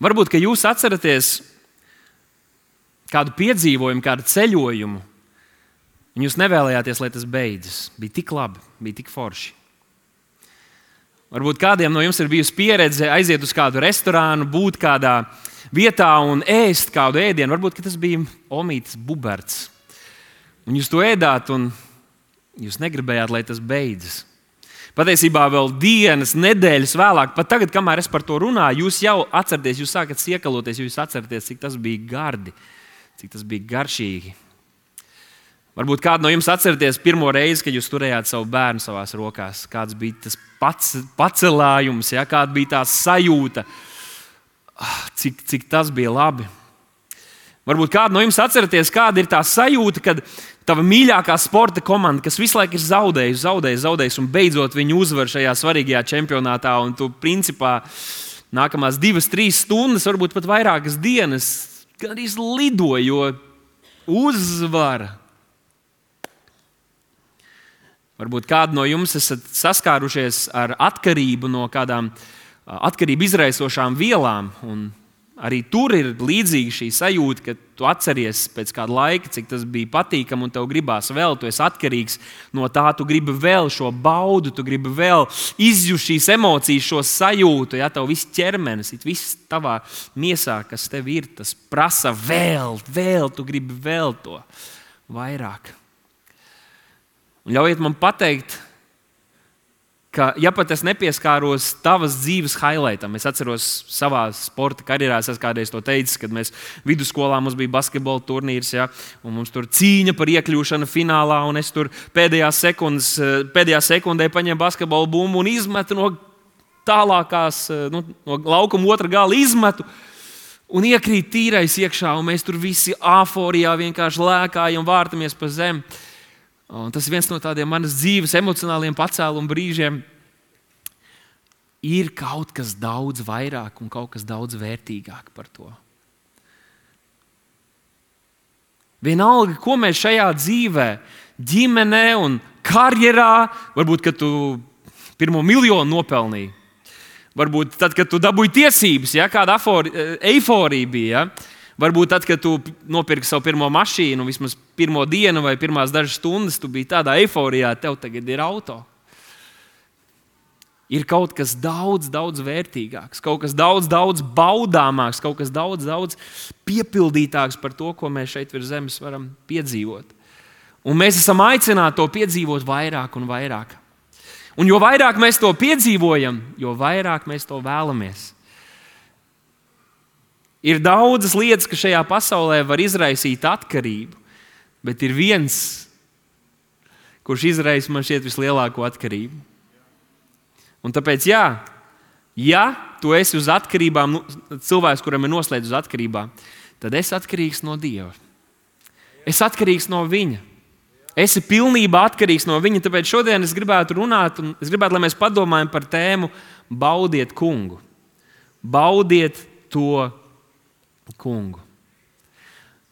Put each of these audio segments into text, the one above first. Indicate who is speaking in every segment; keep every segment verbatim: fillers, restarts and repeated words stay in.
Speaker 1: Varbūt, ka jūs atceraties kādu piedzīvojumu, kādu ceļojumu, un jūs nevēlējāties, lai tas beidzas. Bija tik labi, bija tik forši. Varbūt kādiem no jums ir bijusi pieredze aiziet uz kādu restorānu, būt kādā vietā un ēst kādu ēdienu. Varbūt, ka tas bija omītes buberts. Un jūs to ēdāt, un jūs negribējāt, lai tas beidzas. Patiesībā vēl dienas, nedēļas vēlāk, pat tagad, kamēr es par to runāju, jūs jau atceraties, jūs sākat siekaloties, jūs atceraties, cik tas bija gardi, cik tas bija garšīgi. Varbūt kādu no jums atceraties pirmo reizi, kad jūs turējāt savu bērnu savās rokās. Kāds bija tas pats, pacelājums, ja? Kāda bija tā sajūta, cik, cik tas bija labi. Varbūt kādu no jums atceraties, kāda ir tā sajūta, kad tava mīļākā sporta komanda, kas visu laiku ir zaudējusi, zaudējusi, zaudējusi, un beidzot viņi uzvar šajā svarīgajā čempionātā, un tu principā nākamās divas, trīs stundas, varbūt pat vairākas dienas, gan arī lido, jo uzvara. Varbūt kādu no jums esat saskārušies ar atkarību no kādām atkarību izraisošām vielām, un arī tur ir līdzīga šī sajūta, ka tu atceries pēc kāda laika, cik tas bija patīkami, un tev gribās vēl, tu esi atkarīgs no tā, tu gribi vēl šo baudu, tu gribi vēl izjust šīs emocijas, šo sajūtu, ja tev viss ķermenis, viss tavā miesā, kas tev ir, tas prasa vēl, vēl, tu gribi vēl to vairāk. Un ļaujiet man pateikt, ka, ja pat es nepieskāros tavas dzīves highlightam, es atceros savā sporta karjerā, es kādreiz to teicu, kad mēs vidusskolā mums bija basketbola turnīrs, ja, un mums tur cīņa par iekļūšanu finālā, un es tur pēdējā, sekundes, pēdējā sekundē paņēmu basketbola bumbu un izmetu no tālākās, nu, no laukuma otra gala izmetu, un iekrīt tīrais iekšā, un mēs tur visi āforijā vienkārši lēkājam, vārtamies pa zemi. Un tas ir viens no tādiem manas dzīves emocionāliem pacēluma brīžiem. Ir kaut kas daudz vairāk un kaut kas daudz vērtīgāk par to. Vienalga, ko mēs šajā dzīvē, ģimenē un karjerā, varbūt, kad tu pirmo miljonu nopelnīji, varbūt tad, kad tu dabūji tiesības, ja, kāda eiforija bija, ja, varbūt tad, kad tu nopirki savu pirmo mašīnu, vismaz pirmo dienu vai pirmās dažas stundas, tu biji tādā eiforijā, tev tagad ir auto. Ir kaut kas daudz, daudz vērtīgāks, kaut kas daudz, daudz baudāmāks, kaut kas daudz, daudz piepildītāks par to, ko mēs šeit virs zemes varam piedzīvot. Un mēs esam aicināti to piedzīvot vairāk un vairāk. Un jo vairāk mēs to piedzīvojam, jo vairāk mēs to vēlamies. Ir daudzas lietas, kas šajā pasaulē var izraisīt atkarību, bet ir viens, kurš izraisa man šķiet vislielāko atkarību. Un tāpēc, jā, ja tu esi uz atkarībām, cilvēks, kuram ir noslēdz uz atkarībām, tad esi atkarīgs no Dieva. Esi atkarīgs no Viņa. Esi pilnībā atkarīgs no Viņa. Tāpēc šodien es gribētu runāt, un es gribētu, lai mēs padomājam par tēmu baudiet kungu. Baudiet to kungu.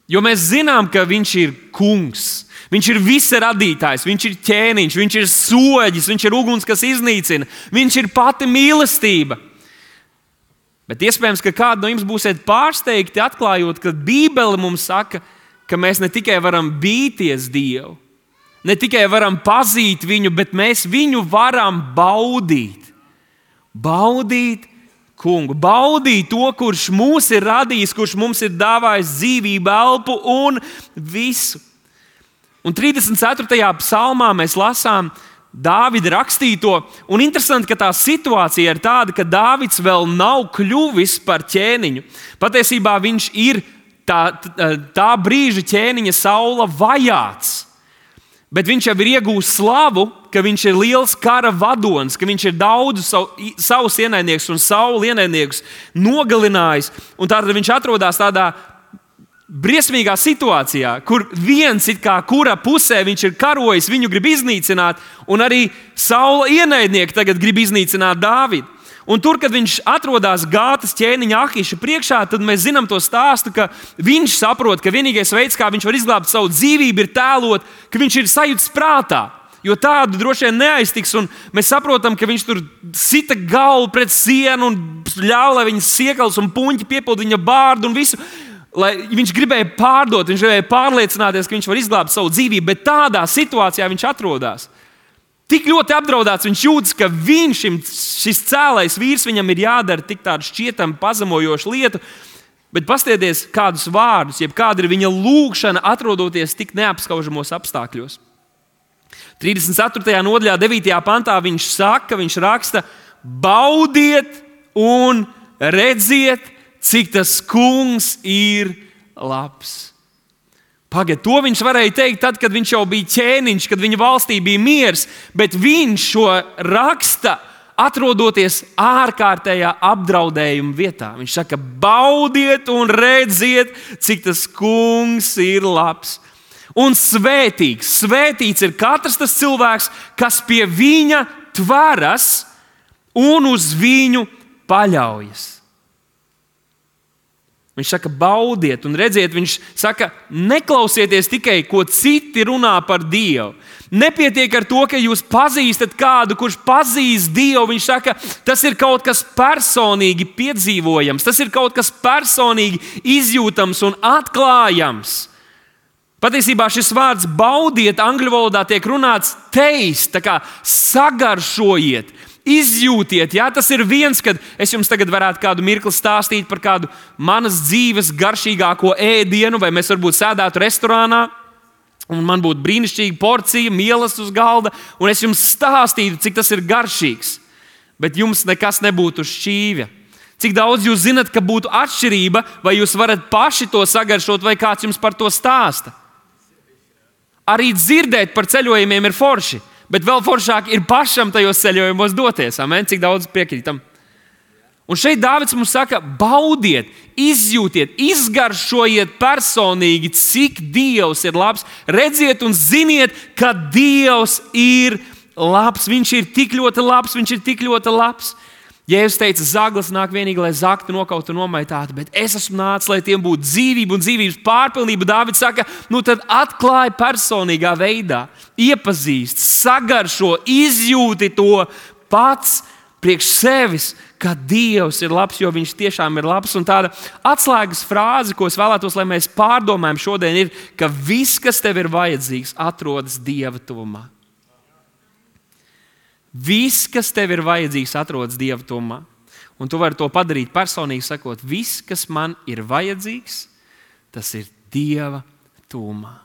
Speaker 1: Jo mēs zinām, ka viņš ir kungs. Viņš ir visa radītājs, viņš ir ķēniņš, viņš ir soģis, viņš ir uguns, kas iznīcina. Viņš ir pati mīlestība. Bet iespējams, ka kādi no jums būsiet pārsteigti atklājot, ka Bībele mums saka, ka mēs ne tikai varam bīties Dievu, ne tikai varam pazīt viņu, bet mēs viņu varam baudīt. Baudīt kungu. Baudīt to, kurš mūs ir radījis, kurš mums ir dāvājis dzīvību, elpu un visu. Un trīsdesmit ceturtajā psalmā mēs lasām Dāvida rakstīto. Un interesanti, ka tā situācija ir tāda, ka Dāvids vēl nav kļuvis par ķēniņu. Patiesībā viņš ir tā, tā brīža ķēniņa Saula vajāts. Bet viņš jau ir iegūst slavu, ka viņš ir liels kara vadonis, ka viņš ir daudz savu, savus ienaidniekus un Saula ienaidniekus nogalinājis. Un tātad viņš atrodas tādā briesmīgā situācijā, kur viens it kā kura pusē viņš ir karojis, viņu grib iznīcināt, un arī Saula ienaidnieki tagad grib iznīcināt Dāvidu. Un tur, kad viņš atrodas Gātas ķēniņa Ahiša priekšā, tad mēs zinām to stāstu, ka viņš saprot, ka vienīgais veids, kā viņš var izglābt savu dzīvību, ir tēlot, ka viņš ir sajūts prātā. Jo tādu droši vien neaiztiks, un mēs saprotam, ka viņš tur sita galvu pret sienu un ļāva, lai viņas siekals un puņķi piepilda viņa bārdu un visu. Lai viņš gribēja pārdot, viņš gribēja pārliecināties, ka viņš var izglābt savu dzīvību, bet tādā situācijā viņš atrodas. Tik ļoti apdraudēts viņš jūtas, ka viņš, šis cēlais vīrs, viņam ir jādara tik tādu šķietami pazemojošu lietu, bet paskatieties kādus vārdus, jeb kāda ir viņa lūgšana, atrodoties tik neapskaužamos apstākļos. trīsdesmit ceturtajā nodaļā, devītajā pantā viņš saka, viņš raksta: baudiet un redziet, cik tas kungs ir labs. Pagad, to viņš varēja teikt tad, kad viņš jau bija ķēniņš, kad viņa valstī bija miers, bet viņš šo raksta, atrodoties ārkārtējā apdraudējuma vietā. Viņš saka: baudiet un redziet, cik tas kungs ir labs. Un svētīgs, svētīts ir katrs tas cilvēks, kas pie viņa tveras un uz viņu paļaujas. Viņš saka, baudiet un redziet, viņš saka, neklausieties tikai, ko citi runā par Dievu. Nepietiek ar to, ka jūs pazīstat kādu, kurš pazīst Dievu. Viņš saka, tas ir kaut kas personīgi piedzīvojams, tas ir kaut kas personīgi izjūtams un atklājams. Patiesībā šis vārds baudiet angļu valodā tiek runāts taste, tā kā sagaršojiet. Izjūtiet, jā, tas ir viens, kad es jums tagad varētu kādu mirkli stāstīt par kādu manas dzīves garšīgāko ēdienu, vai mēs varbūt sēdētu restorānā, un man būtu brīnišķīga porcija, mielas uz galda, un es jums stāstītu, cik tas ir garšīgs, bet jums nekas nebūtu uz šķīvja. Cik daudz jūs zinat, ka būtu atšķirība, vai jūs varat paši to sagaršot, vai kāds jums par to stāsta. Arī dzirdēt par ceļojumiem ir forši. Bet vēl foršāk ir pašam tajos ceļojumos doties. Amen? Cik daudz piekrītam. Un šeit Dāvids mums saka, baudiet, izjūtiet, izgaršojiet personīgi, cik Dievs ir labs. Redziet un ziniet, ka Dievs ir labs. Viņš ir tik ļoti labs, viņš ir tik ļoti labs. Jēzus teica, zaglis nāk vienīgi, lai zaktu, nokautu un nomaitātu, bet es esmu nācis, lai tiem būtu dzīvība un dzīvības pārpilnība. Dāvids saka, nu tad atklāj personīgā veidā, iepazīst, sagaršo, izjūti to pats priekš sevis, ka Dievs ir labs, jo viņš tiešām ir labs. Un tāda atslēgas frāze, ko es vēlētos, lai mēs pārdomājam šodien, ir, ka viss, kas tev ir vajadzīgs, atrodas Dieva tuvumā. Viss, kas tev ir vajadzīgs, atrodas Dieva tuvumā. Un tu vari to padarīt personīgi, sakot, viss, kas man ir vajadzīgs, tas ir Dieva tuvumā.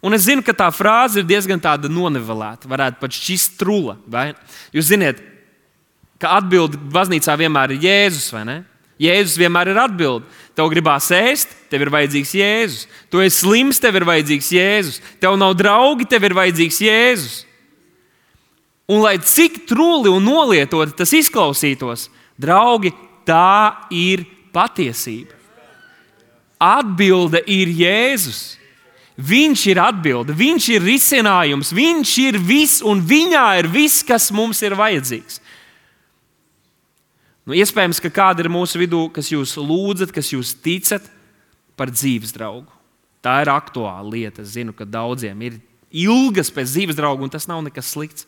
Speaker 1: Un es zinu, ka tā frāze ir diezgan tāda nonivelēta, varētu pat šķist trula. Vai? Jūs ziniet, ka atbilde baznīcā vienmēr ir Jēzus, vai ne? Jēzus vienmēr ir atbilde. Tev gribās ēst, tev ir vajadzīgs Jēzus. Tu esi slims, tev ir vajadzīgs Jēzus. Tev nav draugi, tev ir vajadzīgs Jēzus. Un lai cik truli un nolietoti tas izklausītos, draugi, tā ir patiesība. Atbilde ir Jēzus. Viņš ir atbilde, viņš ir risinājums, viņš ir viss un viņā ir viss, kas mums ir vajadzīgs. Nu, iespējams, ka kāda ir mūsu vidū, kas jūs lūdzat, kas jūs ticat par dzīves draugu. Tā ir aktuāla lieta. Es zinu, ka daudziem ir ilgas pēc dzīves draugu, un tas nav nekas slikts.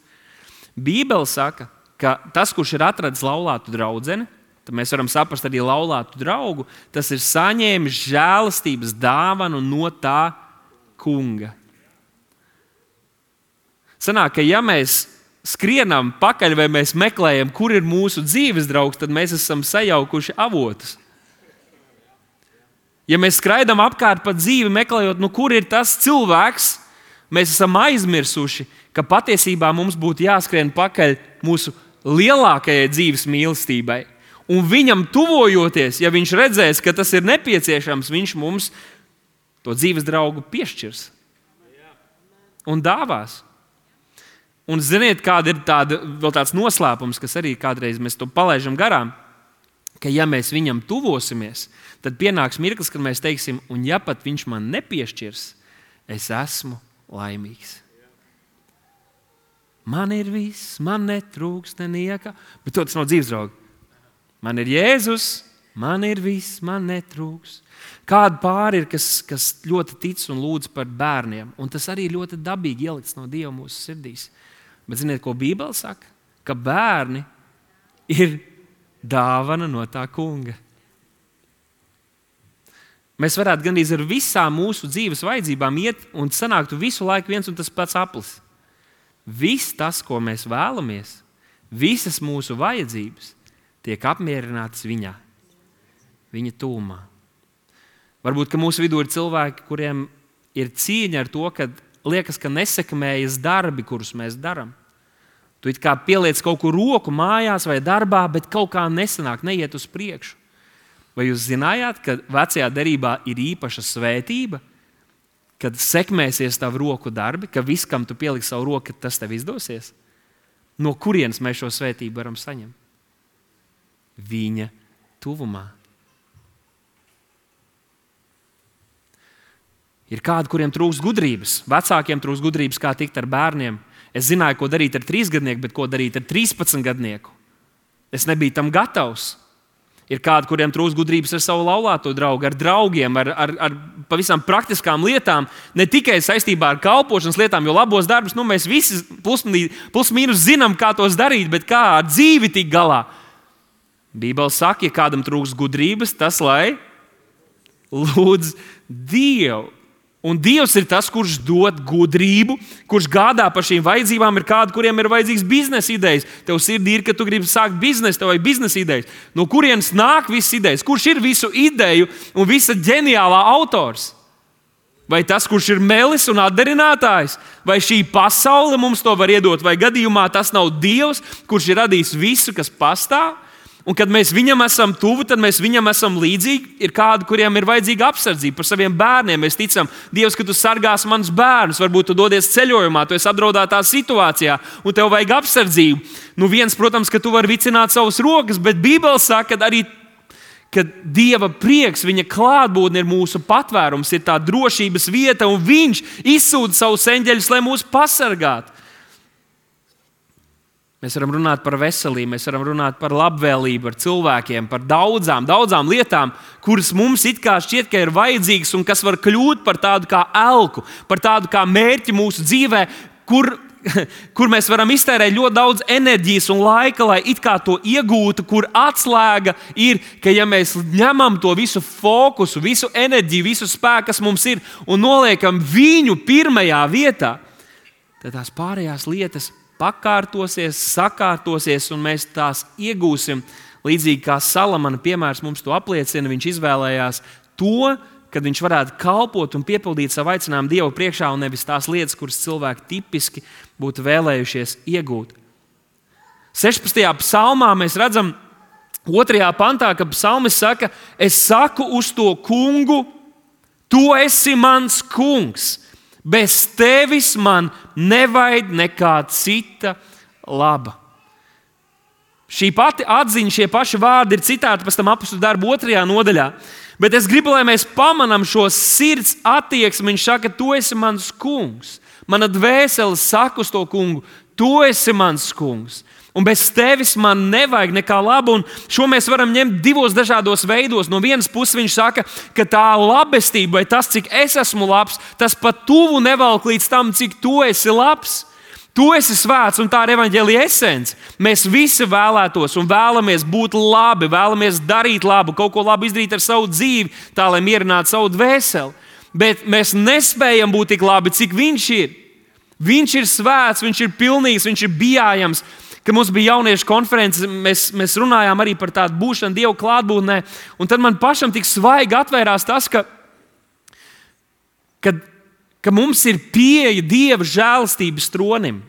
Speaker 1: Bībele saka, ka tas, kurš ir atradis laulātu draudzeni, tad mēs varam saprast arī laulātu draugu, tas ir saņēmis žēlastības dāvanu no tā kunga. Sanāk, ka ja mēs skrienam pakaļ vai mēs meklējam, kur ir mūsu dzīves draugs, tad mēs esam sajaukuši avotus. Ja mēs skraidam apkārt pa dzīvi meklējot, nu kur ir tas cilvēks, mēs esam aizmirsuši, ka patiesībā mums būtu jāskrien pakaļ mūsu lielākajai dzīves mīlestībai. Un viņam tuvojoties, ja viņš redzēs, ka tas ir nepieciešams, viņš mums to dzīves draugu piešķirs un dāvās. Un ziniet, kāda ir tāda, vēl tāds noslēpums, kas arī kādreiz mēs to palaižam garām, ka ja mēs viņam tuvosimies, tad pienāks mirklis, kad mēs teiksim, un ja pat viņš man nepiešķirs, es esmu laimīgs. Man ir viss, man netrūkst nenieka, bet to tas nav dzīves draugi. Man ir Jēzus, Man ir viss, man netrūks. Kāda pāri ir, kas, kas ļoti tic un lūdz par bērniem. Un tas arī ļoti dabīgi ielikts no Dieva mūsu sirdīs. Bet ziniet, ko Bībele saka? Ka bērni ir dāvana no tā kunga. Mēs varētu gandrīz ar visām mūsu dzīves vajadzībām iet un sanāktu visu laiku viens un tas pats aplis. Viss tas, ko mēs vēlamies, visas mūsu vajadzības tiek apmierinātas viņā, viņa tūmā. Varbūt, ka mūsu vidū ir cilvēki, kuriem ir cīņa ar to, ka liekas, ka nesekmējas darbi, kurus mēs darām. Tu it kā pieliec kaut kur roku mājās vai darbā, bet kaut kā nesanāk, neiet uz priekšu. Vai jūs zinājāt, ka vecajā derībā ir īpaša svētība, kad sekmēsies tavu roku darbi, ka viss, kam tu pieliksi savu roku, tas tev izdosies? No kurienes mēs šo svētību varam saņemt? Viņa tuvumā. Ir kādi, kuriem trūks gudrības. Vecākiem trūks gudrības, kā tikt ar bērniem. Es zināju, ko darīt ar trīsgadnieku, bet ko darīt ar trīspadsmitgadnieku. Es nebiju tam gatavs. Ir kādi, kuriem trūks gudrības ar savu laulāto draugu, ar draugiem, ar, ar, ar pavisam praktiskām lietām, ne tikai saistībā ar kalpošanas lietām, jo labos darbus nu, mēs visi plus, plus mīnus zinām, kā tos darīt, bet kā ar dzīvi tikt galā. Bībele saka, ja kādam trūks gudrības, tas lai lūdz Dievu. Un Dievs ir tas, kurš dod gudrību, kurš gādā par šīm vajadzībām. Ir kādi, kuriem ir vajadzīgs biznesa idejas. Tev sirdī ir, ka tu gribi sākt biznesu, tev vajag biznesa idejas. No kurienes nāk visas idejas? Kurš ir visu ideju un visa ģeniālā autors? Vai tas, kurš ir melis un atdarinātājs? Vai šī pasaule mums to var iedot? Vai gadījumā tas nav Dievs, kurš ir radījis visu, kas pastāv? Un kad mēs viņam esam tuvu, tad mēs viņam esam līdzīgi. Ir kādi, kuriem ir vajadzīga apsardzība par saviem bērniem. Mēs ticam, Dievs, ka tu sargās manus bērnus. Varbūt tu dodies ceļojumā, tu esi apdraudētā situācijā un tev vajag apsardzību. Nu viens, protams, ka tu vari vicināt savas rokas, bet Bībele saka, ka arī ka Dieva prieks, viņa klātbūtne ir mūsu patvērums, ir tā drošības vieta, un viņš izsūta savus eņģeļus, lai mūs pasargātu. Mēs varam runāt par veselību, mēs varam runāt par labvēlību, par cilvēkiem, par daudzām, daudzām lietām, kuras mums it kā šķiet, ka ir vajadzīgas un kas var kļūt par tādu kā elku, par tādu kā mērķi mūsu dzīvē, kur, kur mēs varam iztērēt ļoti daudz enerģijas un laika, lai it kā to iegūtu, kur atslēga ir, ka ja mēs ņemam to visu fokusu, visu enerģiju, visu spēku, kas mums ir, un noliekam viņu pirmajā vietā, tad tās pārējās lietas pakārtosies, sakārtosies, un mēs tās iegūsim. Līdzīgi kā Salamana piemērs mums to apliecina, viņš izvēlējās to, kad viņš varētu kalpot un piepildīt savu aicinājumu Dievu priekšā, un nevis tās lietas, kuras cilvēki tipiski būtu vēlējušies iegūt. sešpadsmitajā psalmā mēs redzam otrajā pantā, ka psalmis saka, es saku uz to kungu, tu esi mans kungs. Bez tevis man nevajag nekā cita laba. Šī pati atziņa, šie paši vārdi ir citāti pēc tam apostļu darbu otrajā nodaļā. Bet es gribu, lai mēs pamanām šo sirds attieksmi. Viņš saka, tu esi mans kungs. Mana dvēsele saka uz to kungu, tu esi mans kungs. Un bez tevis man nevajag nekā laba. Un šo mēs varam ņemt divos dažādos veidos. No vienas puses viņš saka, ka tā labestība, vai tas, cik es esmu labs, tas pat tuvu nevelk līdz tam, cik tu esi labs. Tu esi svēts, un tā ir evaņģēlija esence. Mēs visi vēlētos un vēlamies būt labi, vēlamies darīt labu, kaut ko labu izdarīt ar savu dzīvi, tā lai mierinātu savu dvēseli. Bet mēs nespējam būt tik labi, cik viņš ir. Viņš ir svēts, viņš ir pilnīgs, viņš ir bijājams. Kad mums bija jauniešu konferences, mēs, mēs runājām arī par tādu būšanu Dieva klātbūtnē. Un tad man pašam tik svaigi atvērās tas, ka, ka, ka mums ir pieeja Dieva žēlastības tronim.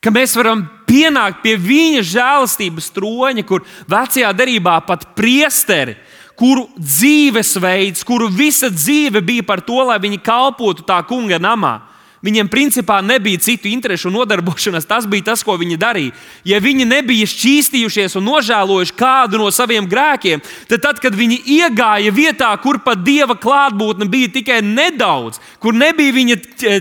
Speaker 1: Ka mēs varam pienākt pie viņa žēlastības troņa, kur vecajā derībā pat priesteri, kuru dzīvesveids, kuru visa dzīve bija par to, lai viņi kalpotu tā kunga namā. Viņiem principā nebija citu interešu un nodarbošanās. Tas bija tas, ko viņi darīja. Ja viņi nebija šķīstījušies un nožēlojuši kādu no saviem grēkiem, tad, tad kad viņi iegāja vietā, kur pat Dieva klātbūtne bija tikai nedaudz, kur nebija viņa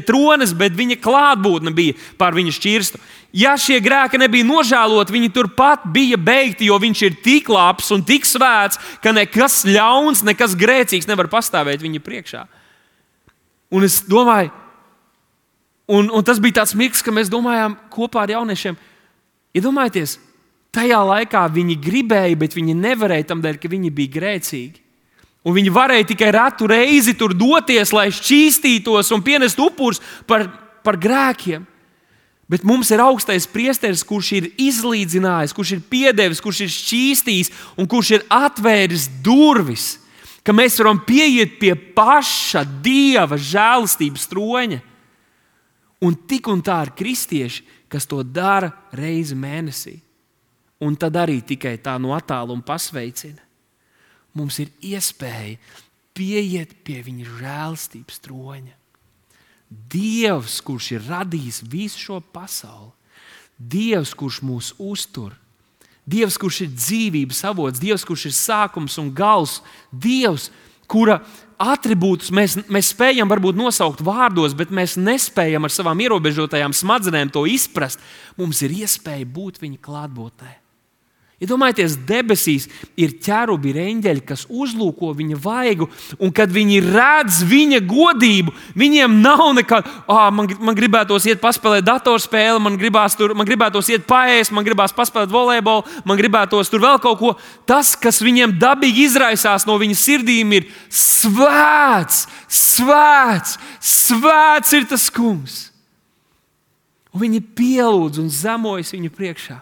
Speaker 1: tronis, bet viņa klātbūtne bija pār viņa šķirstu. Ja šie grēki nebija nožēloti, viņi turpat bija beigti, jo viņš ir tik labs un tik svēts, ka nekas ļauns, nekas grēcīgs nevar pastāvēt viņa priekšā. Un es domāju, un, un tas bija tāds mirklis, ka mēs domājām kopā ar jauniešiem, iedomājieties, tajā laikā viņi gribēja, bet viņi nevarēja tam dēļ, ka viņi bija grēcīgi. Un viņi varēja tikai retu reizi tur doties, lai šķīstītos un pienestu upurus par, par grēkiem. Bet mums ir augstais priesteris, kurš ir izlīdzinājis, kurš ir piedevis, kurš ir šķīstījis un kurš ir atvēris durvis, ka mēs varam pieiet pie paša Dieva žēlastības troņa. Un tik un tā ir kristieši, kas to dara reizi mēnesī. Un tad arī tikai tā no attāluma pasveicina. Mums ir iespēja pieiet pie viņa žēlastības troņa. Dievs, kurš ir radījis visu šo pasauli, Dievs, kurš mūs uztur, Dievs, kurš ir dzīvības avots, Dievs, kurš ir sākums un gals, Dievs, kura atribūtus mēs, mēs spējam varbūt nosaukt vārdos, bet mēs nespējam ar savām ierobežotajām smadzenēm to izprast. Mums ir iespēja būt viņa klātbūtnē. Iedomājieties, debesīs ir ķerubi, ir eņģeļi, kas uzlūko viņa vaigu, un kad viņi redz viņa godību, viņiem nav nekā, ah, man, man gribētos iet paspēlēt datorspēli, man, tur, man gribētos iet paēst, man gribās paspēlēt volejbolu, man gribētos tur vēl kaut ko. Tas, kas viņiem dabīgi izraisās no viņa sirdīm, ir svēts, svēts, svēts ir tas kungs. Un viņi pielūdz un zemojas viņa priekšā.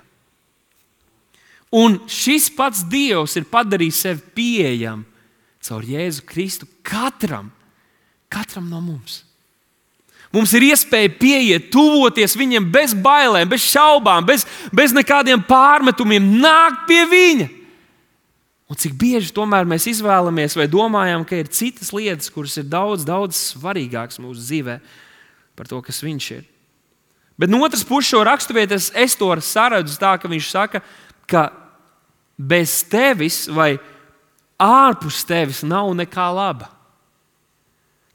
Speaker 1: Un šis pats Dievs ir padarījis sevi pieejamu caur Jēzu Kristu katram, katram no mums. Mums ir iespēja pieiet, tuvoties viņam bez bailēm, bez šaubām, bez, bez nekādiem pārmetumiem, nākt pie viņa. Un cik bieži tomēr mēs izvēlamies vai domājam, ka ir citas lietas, kuras ir daudz, daudz svarīgākas mūsu dzīvē par to, kas viņš ir. Bet no otras puses šo raksturvietas es to saredzu tā, ka viņš saka, ka bez tevis vai ārpus tevis nav nekā laba.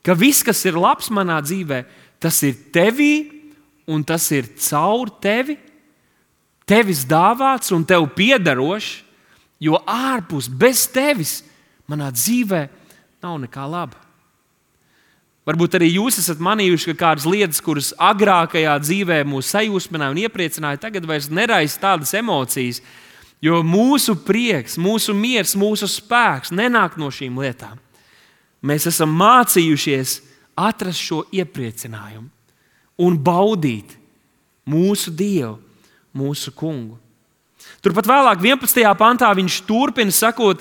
Speaker 1: Ka viss, kas ir labs manā dzīvē, tas ir tevī un tas ir caur tevi, tevis dāvāts un tev piederošs, jo ārpus, bez tevis manā dzīvē nav nekā laba. Varbūt arī jūs esat manījuši, ka kādas lietas, kuras agrākajā dzīvē mūs sajūsmināja un iepriecināja, tagad vairs neraisa tādas emocijas, jo mūsu prieks, mūsu miers, mūsu spēks nenāk no šīm lietām. Mēs esam mācījušies atrast šo iepriecinājumu un baudīt mūsu Dievu, mūsu kungu. Turpat vēlāk, vienpadsmitajā pantā, viņš turpina sakot,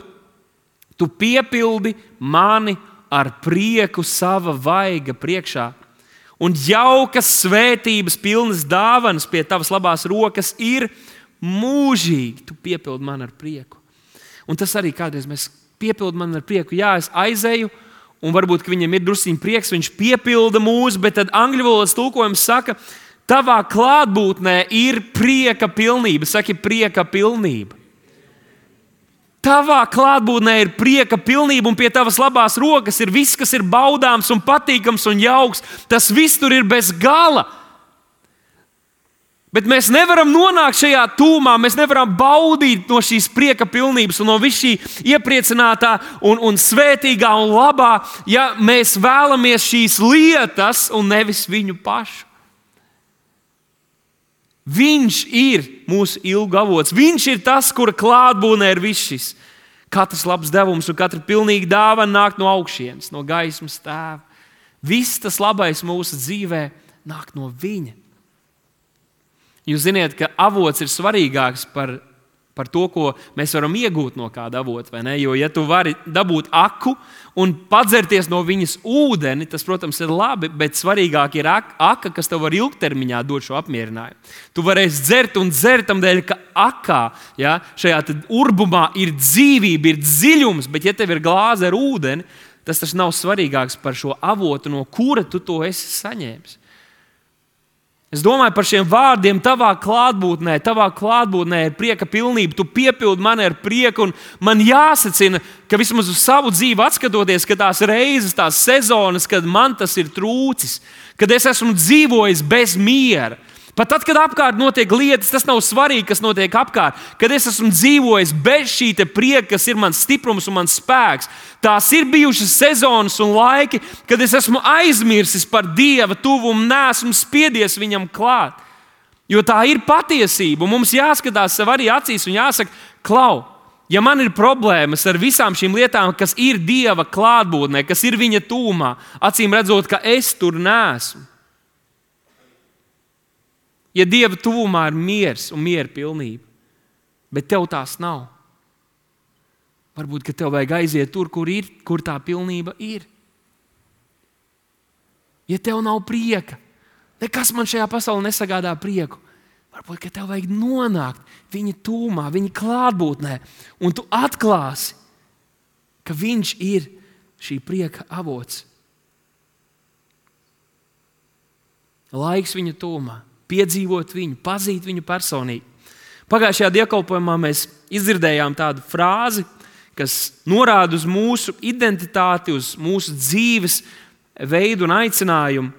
Speaker 1: tu piepildi mani ar prieku sava vaiga priekšā, un jaukas svētības pilnas dāvanas pie tavas labās rokas ir mūžīgi. Tu piepildi mani ar prieku. Un tas arī kādreiz mēs piepildi mani ar prieku. Jā, es aizēju, un varbūt viņam ir drusciņ prieks, viņš piepilda mūs, bet tad angļu valodas tulkojums saka, tavā klātbūtnē ir prieka pilnība. Saki, prieka pilnība. Tavā klātbūtnē ir prieka pilnība, un pie tavas labās rokas ir viss, kas ir baudāms un patīkams un jauks. Tas viss tur ir bez gala. Bet mēs nevaram nonākt šajā tūmā, mēs nevaram baudīt no šīs prieka pilnības un no viss šī iepriecinātā un, un svētīgā un labā, ja mēs vēlamies šīs lietas un nevis viņu pašu. Viņš ir mūsu ilgu avots. Viņš ir tas, kura klātbūtnē ir viss šis. Katrs labs devums un katra pilnīga dāvana nāk no augšienes, no gaismas tēva. Viss tas labais mūsu dzīvē nāk no viņa. Jūs ziniet, ka avots ir svarīgāks par, par to, ko mēs varam iegūt no kāda avota, vai ne? Jo, ja tu vari dabūt aku un padzerties no viņas ūdeni, tas, protams, ir labi, bet svarīgāk ir aka, kas tev var ilgtermiņā dot šo apmierinājumu. Tu varēsi dzert un dzert tam dēļ, ka akā, ja, šajā urbumā ir dzīvība, ir dziļums, bet ja tev ir glāze ar ūdeni, tas tas nav svarīgāks par šo avotu, no kura tu to esi saņēmis. Es domāju par šiem vārdiem, tavā klātbūtnē, tavā klātbūtnē ir prieka pilnība, tu piepildi mani ar prieku, un man jāsacina, ka vismaz uz savu dzīvi atskatoties, ka tās reizes, tās sezonas, kad man tas ir trūcis, kad es esmu dzīvojis bez miera, Pat tad, kad apkārt notiek lietas, tas nav svarīgi, kas notiek apkārt. Kad es esmu dzīvojis bez šī prieka, kas ir mans stiprums un mans spēks, tās ir bijušas sezonas un laiki, kad es esmu aizmirsis par Dieva tuvumu, neesmu spiedies viņam klāt. Jo tā ir patiesība. Mums jāskatās sev arī acīs un jāsaka, klau, ja man ir problēmas ar visām šīm lietām, kas ir Dieva klātbūtnē, kas ir viņa tūmā, acīm redzot, ka es tur neesmu. Ja Dieva tuvumā ir miers un miera pilnība, bet tev tās nav, varbūt, ka tev vajag aiziet tur, kur, ir, kur tā pilnība ir. Ja tev nav prieka, nekas man šajā pasaulē nesagādā prieku, varbūt, ka tev vajag nonākt viņa tūmā, viņa klātbūtnē, un tu atklāsi, ka viņš ir šī prieka avots. Laiks viņa tūmā. Piedzīvot viņu, pazīt viņu personīgi. Pagājušajā dievkalpojumā mēs izdzirdējām tādu frāzi, kas norāda uz mūsu identitāti, uz mūsu dzīves veidu un aicinājumu.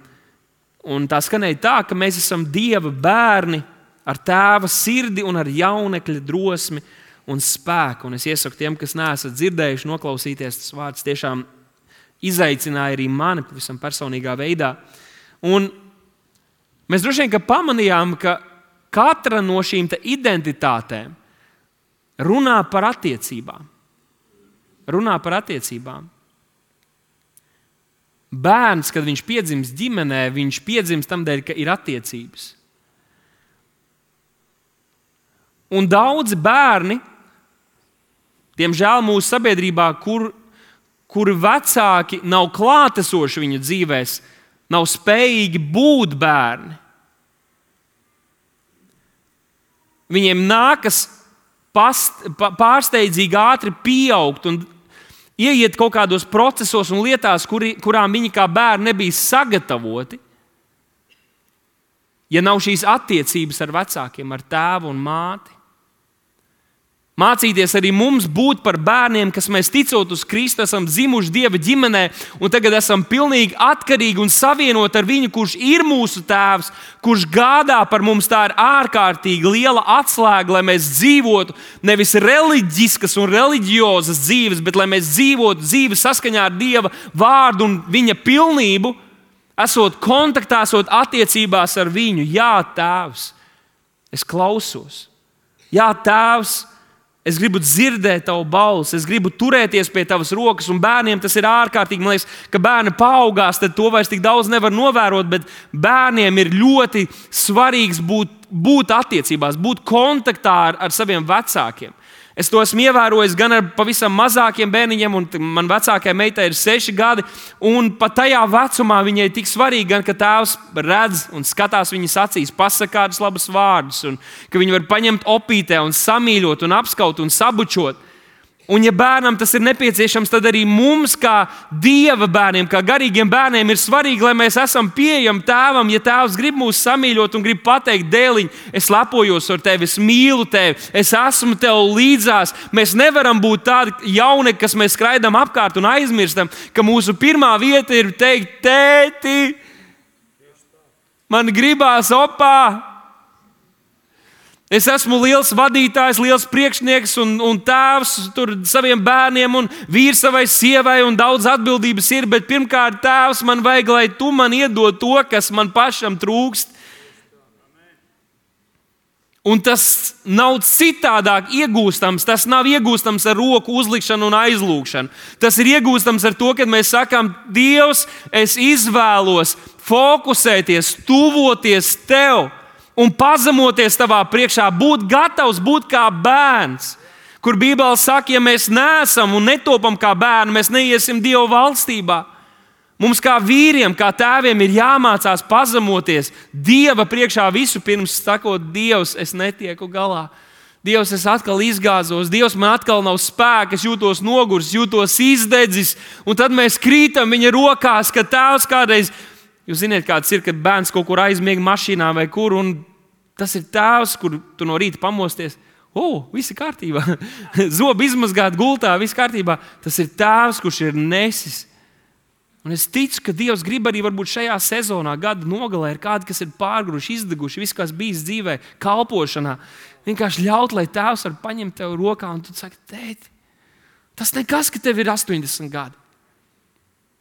Speaker 1: Un tā skanēja tā, ka mēs esam Dieva bērni ar tēva sirdi un ar jaunekļa drosmi un spēku. Un es iesaku tiem, kas neesat dzirdējuši, noklausīties, tas vārds tiešām izaicināja arī mani pavisam personīgā veidā. Un mēs droši vien pamanījām, ka katra no šīm identitātēm runā par attiecībām. Runā par attiecībām. Bērns, kad viņš piedzimst ģimenē, viņš piedzimst tam dēļ, ka ir attiecības. Un daudzi bērni, diemžēl mūsu sabiedrībā, kur, kur vecāki nav klātesoši viņu dzīvēs, nav spējīgi būt bērni. Viņiem nākas past, pārsteidzīgi ātri pieaugt un ieiet kaut kādos procesos un lietās, kuri, kurām viņi kā bērni nebija sagatavoti, ja nav šīs attiecības ar vecākiem, ar tēvu un māti. Mācīties arī mums būt par bērniem, kas mēs ticot uz Kristu, esam dzimuši Dieva ģimenē un tagad esam pilnīgi atkarīgi un savienoti ar viņu, kurš ir mūsu tēvs, kurš gādā par mums. Tā ir ārkārtīgi liela atslēga, lai mēs dzīvotu nevis reliģiskas un reliģiozas dzīves, bet lai mēs dzīvotu dzīvi saskaņā ar Dieva vārdu un viņa pilnību, esot kontaktā, esot attiecībās ar viņu. Jā, tēvs, es klausos. Jā, tēvs, es gribu dzirdēt tavu balsi, es gribu turēties pie tavas rokas, un bērniem tas ir ārkārtīgi. Man liekas, ka bērni paaugās, tad to vairs tik daudz nevar novērot, bet bērniem ir ļoti svarīgs būt, būt attiecībās, būt kontaktā ar, ar saviem vecākiem. Es to esmu ievērojis gan ar pavisam mazākiem bērniņiem, un man vecākajai meitai ir seši gadi, un pat tajā vecumā viņai ir tik svarīgi, gan, ka tēvs redz un skatās viņas acīs, pasaka kādus labus vārdus, un ka viņi var paņemt opītē un samīļot un apskaut un sabučot. Un ja bērnam tas ir nepieciešams, tad arī mums, kā Dieva bērniem, kā garīgiem bērniem, ir svarīgi, lai mēs esam pieejami tēvam. Ja tēvs grib mūs samīļot un grib pateikt, dēliņ, es lepojos ar tevi, es mīlu tevi, es esmu tev līdzās. Mēs nevaram būt tādi jauneki, kas mēs skraidām apkārt un aizmirstam, ka mūsu pirmā vieta ir teikt, tēti, man gribās opā. Es esmu liels vadītājs, liels priekšnieks un, un tēvs tur saviem bērniem un vīrs savai sievai un daudz atbildības ir, bet pirmkārt, tēvs, man vajag, lai tu man iedod to, kas man pašam trūkst. Un tas nav citādāk iegūstams, tas nav iegūstams ar roku uzlikšanu un aizlūgšanu. Tas ir iegūstams ar to, kad mēs sakām, Dievs, es izvēlos fokusēties, tuvoties tev. Un pazemoties tavā priekšā, būt gatavs būt kā bērns, kur Bībele saka, ja mēs neesam un netopam kā bērni, mēs neiesim Dieva valstībā. Mums kā vīriem, kā tēviem ir jāmācās pazemoties Dieva priekšā visu pirms sakot, Dievs, es netieku galā. Dievs, es atkal izgāzos, Dievs, man atkal nav spēka, es jūtos nogurs, jūtos izdedzis, un tad mēs krītam viņa rokās, ka tēvs kādreiz. Jūs zināt, kāds ir, kad bērns kaut kur aizmiega mašīnā vai kur, un tas ir tēvs, kur tu no rīta pamosties. O, oh, viss ir kārtībā. Zobi izmazgāt gultā, viss kārtībā. Tas ir tēvs, kurš ir nesis Un es ticu, ka Dievs grib arī varbūt šajā sezonā, gada nogalē, ir kādi, kas ir pārguruši, izdeguši, viss, kas bijis dzīvē, kalpošanā. Vienkārši ļaut, lai Tēvs var paņemt tevi rokā un tu saki, tēti, tas nekas, ka tev ir astoņdesmit gadi.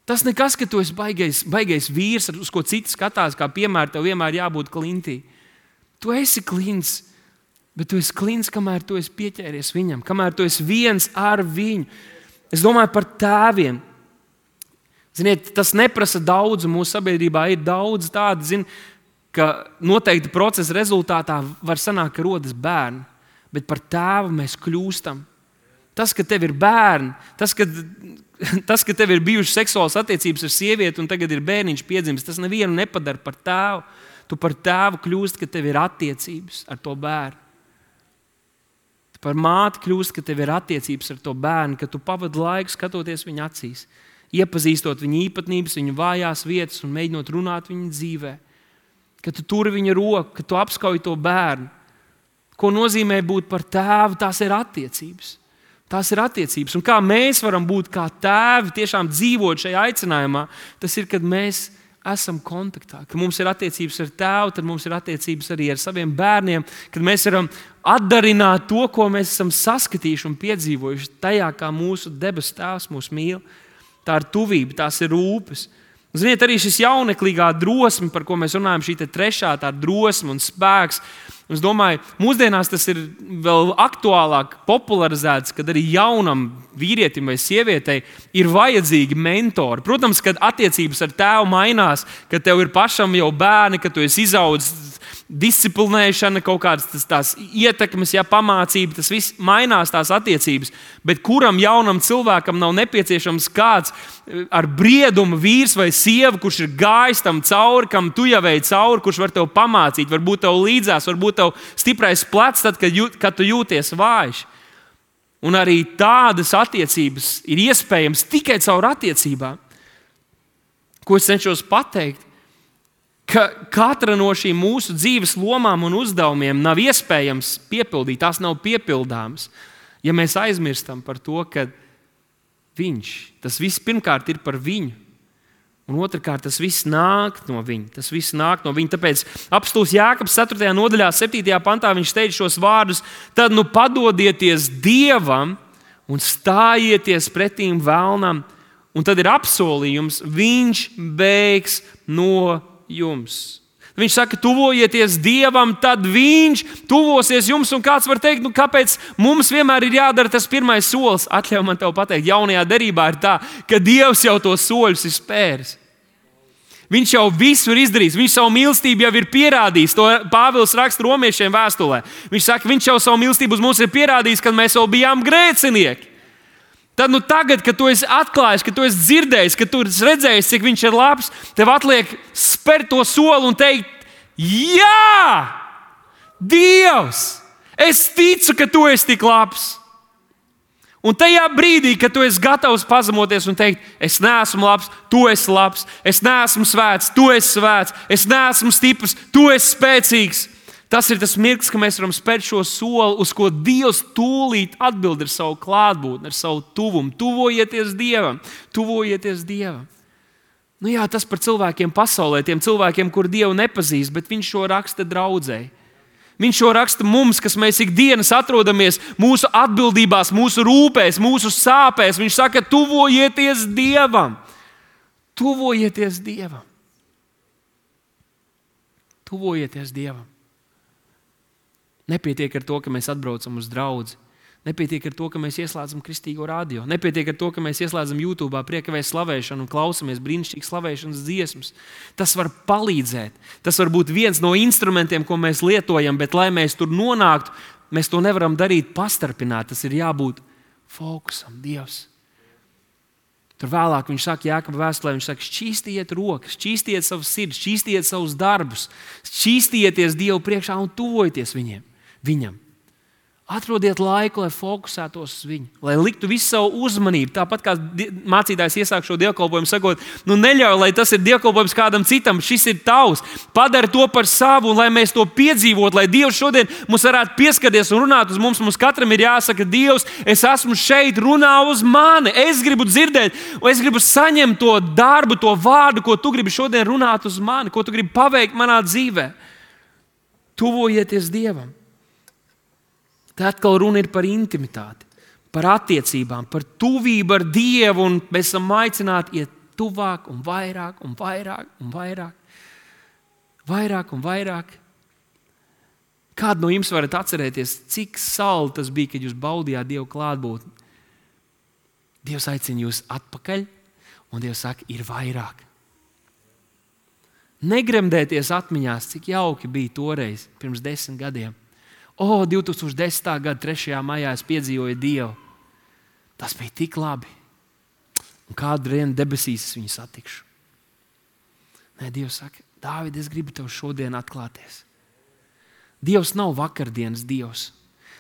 Speaker 1: Tas nekas, ka tu esi baigais, baigais vīrs, uz ko citi skatās, kā piemēram, tev vienmēr jābūt klintī. Tu esi klints, bet tu esi klints, kamēr tu esi pieķēries viņam, kamēr tu esi viens ar viņu. Es domāju par tēviem. Ziniet, tas neprasa daudz, mūsu sabiedrībā ir daudz tādu, zin, ka noteikti procesa rezultātā var sanākt, ka rodas bērni, bet par tēvu mēs kļūstam. Tas, ka tev ir bērni, tas, ka, tas, ka tev ir bijušas seksuālas attiecības ar sievieti un tagad ir bērniņš piedzimis, tas nevienu nepadara par tēvu. Tu par tēvu kļūst, ka tev ir attiecības ar to bērnu. Tu par māti kļūst, ka tev ir attiecības ar to bērnu, ka tu pavadi laiku skatoties viņa acīs, iepazīstot viņa īpatnības, viņa vājās vietas un mēģinot runāt viņa dzīvē. Ka tu turi viņa roku, ka tu apskauj to bērnu. Ko nozīmē būt par tēvu, tās ir attiecības. Tās ir attiecības. Un kā mēs varam būt kā tēvi, tiešām dzīvot šajā aicinājumā, tas ir, kad mēs esam kontaktā. Kad mums ir attiecības ar tēvu, tad mums ir attiecības arī ar saviem bērniem. Kad mēs varam atdarināt to, ko mēs esam saskatījuši un piedzīvojuši tajā, kā mūsu debesu tēvs mūs mīl. Tā ir tuvība, tās ir rūpes. Ziniet, arī šis jauneklīgā drosme, par ko mēs runājam, šī trešā tā drosme un spēks. Es domāju, mūsdienās tas ir vēl aktuālāk popularizēts, kad arī jaunam vīrietim vai sievietei ir vajadzīgi mentori. Protams, kad attiecības ar tēvu mainās, kad tev ir pašam jau bērni, kad tu esi izaudzis, disciplinēšana, kaut kādas tās, tās ietekmes, ja, pamācība, tas viss mainās tās attiecības. Bet kuram jaunam cilvēkam nav nepieciešams kāds ar briedumu vīrs vai sieva, kurš ir gājis tam cauri, kam tu jau ej cauri, kurš var tev pamācīt, varbūt tev līdzās, varbūt tev stiprais plecs, tad, kad, jūt, kad tu jūties vājš. Un arī tādas attiecības ir iespējams tikai caur attiecībām. Ko es cenšos pateikt? Ka katra no šīm mūsu dzīves lomām un uzdevumiem nav iespējams piepildīt, tās nav piepildāmas. Ja mēs aizmirstam par to, ka viņš, tas viss pirmkārt ir par viņu, un otrkārt tas viss nāk no viņa. Tas viss nāk no viņa. Tāpēc apostols Jākabs ceturtajā nodaļā, septītajā pantā viņš teica šos vārdus: tad nu padodieties Dievam un stājieties pretīm velnam, un tad ir apsolījums, viņš bēgs no jums. Viņš saka, tuvojieties Dievam, tad viņš tuvosies jums. Un kāds var teikt, nu, kāpēc mums vienmēr ir jādara tas pirmais solis? Atļauj man tev pateikt, jaunajā derībā ir tā, ka Dievs jau tos soļus ir spēris. Viņš jau visu ir izdarījis, viņš savu mīlestību jau ir pierādījis. To Pāvils raksta romiešiem vēstulē. Viņš saka, viņš jau savu mīlestību uz mums ir pierādījis, kad mēs vēl bijām grēcinieki. Tad nu tagad, kad tu esi atklājis, kad tu esi dzirdējis, kad tu esi redzējis, cik viņš ir labs, tev atliek spērt to soli un teikt, jā, Dievs, es ticu, ka tu esi tik labs. Un tajā brīdī, kad tu esi gatavs pazemoties un teikt, es neesmu labs, tu esi labs, es neesmu svēts, tu esi svēts, es neesmu stiprs, tu esi spēcīgs. Tas ir tas mirklis, ka mēs varam spērt šo soli, uz ko Dievs tūlīt atbild ar savu klātbūtni, ar savu tuvumu. Tuvojieties Dievam, tuvojieties Dievam. Nu jā, tas par cilvēkiem pasaulē, tiem cilvēkiem, kur Dievu nepazīst, bet viņš šo raksta draudzēji. Viņš šo raksta mums, kas mēs ikdienas atrodamies mūsu atbildībās, mūsu rūpēs, mūsu sāpēs. Viņš saka, tuvojieties Dievam. Tuvojieties Dievam. Tuvojieties Dievam. Nepietiek ar to, ka mēs atbraucam uz draudzi. Nepietiek ar to, ka mēs ieslēdzam kristīgo radio. Nepietiek ar to, ka mēs ieslēdzam YouTube priekavēs slavēšanu un klausamies brīnišķīgas slavēšanas dziesmas. Tas var palīdzēt. Tas var būt viens no instrumentiem, ko mēs lietojam, bet, lai mēs tur nonāktu, mēs to nevaram darīt pastarpināt. Tas ir jābūt fokusam, Dievs. Tur vēlāk viņš saka, Jākaba vēstulē, viņš saka, šķīstiet rokas, šķīstiet savus sirdis, šķīstiet savus darbus, šķīstieties Dievu priekšā un tuvojieties viņiem. Viņam. Atrodiet laiku, lai fokusētos uz viņu, lai liktu visu savu uzmanību. Tāpat kā mācītājs iesāk šo dievkalpojumu, sakot, nu neļauj, lai tas ir dievkalpojums kādam citam, šis ir tavs. Padari to par savu, un lai mēs to piedzīvotu, lai Dievs šodien mums varētu pieskarties un runāt uz mums. Mums katram ir jāsaka, Dievs, es esmu šeit, runā uz mani. Es gribu dzirdēt, un es gribu saņemt to darbu, to vārdu, ko tu gribi šodien runāt uz mani, ko tu gribi paveikt manā dzīvē. Tuvojieties Dievam. Tā atkal runa ir par intimitāti, par attiecībām, par tuvību ar Dievu, un mēs esam aicināti iet tuvāk un vairāk un vairāk un vairāk. Vairāk un vairāk. Kādu no jums varat atcerēties, cik saldi tas bija, kad jūs baudījāt Dievu klātbūtni? Dievs aicina jūs atpakaļ, un Dievs saka, ir vairāk. Negremdēties atmiņās, cik jauki bija toreiz, pirms desmit gadiem. O, divi tūkstoši desmitā gada trešajā maijā es piedzīvoju Dievu. Tas bija tik labi. Un kādu dienu debesīs es viņu satikšu. Nē, Dievs saka, Dāvid, es gribu tev šodien atklāties. Dievs nav vakardienas Dievs.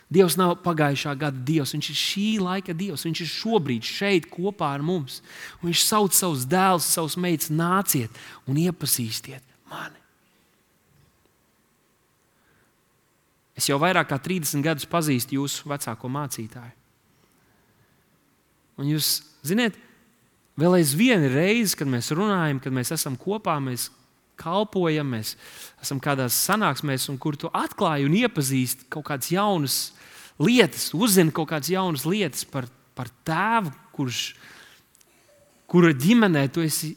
Speaker 1: Dievs nav pagājušā gada Dievs. Viņš ir šī laika Dievs. Viņš ir šobrīd šeit kopā ar mums. Un viņš sauc savus dēlus, savus meitas, nāciet un iepazīstiet mani. Es jau vairāk kā trīsdesmit gadus pazīstu jūsu vecāko mācītāju. Un jūs ziniet, vēl aizvien ir reize, kad mēs runājam, kad mēs esam kopā, mēs kalpojam, mēs esam kādās sanāksmēs, un kur tu atklāji un iepazīsti kaut kādas jaunas lietas, uzzini kaut kādas jaunas lietas par, par tēvu, kurš, kura ģimenē tu esi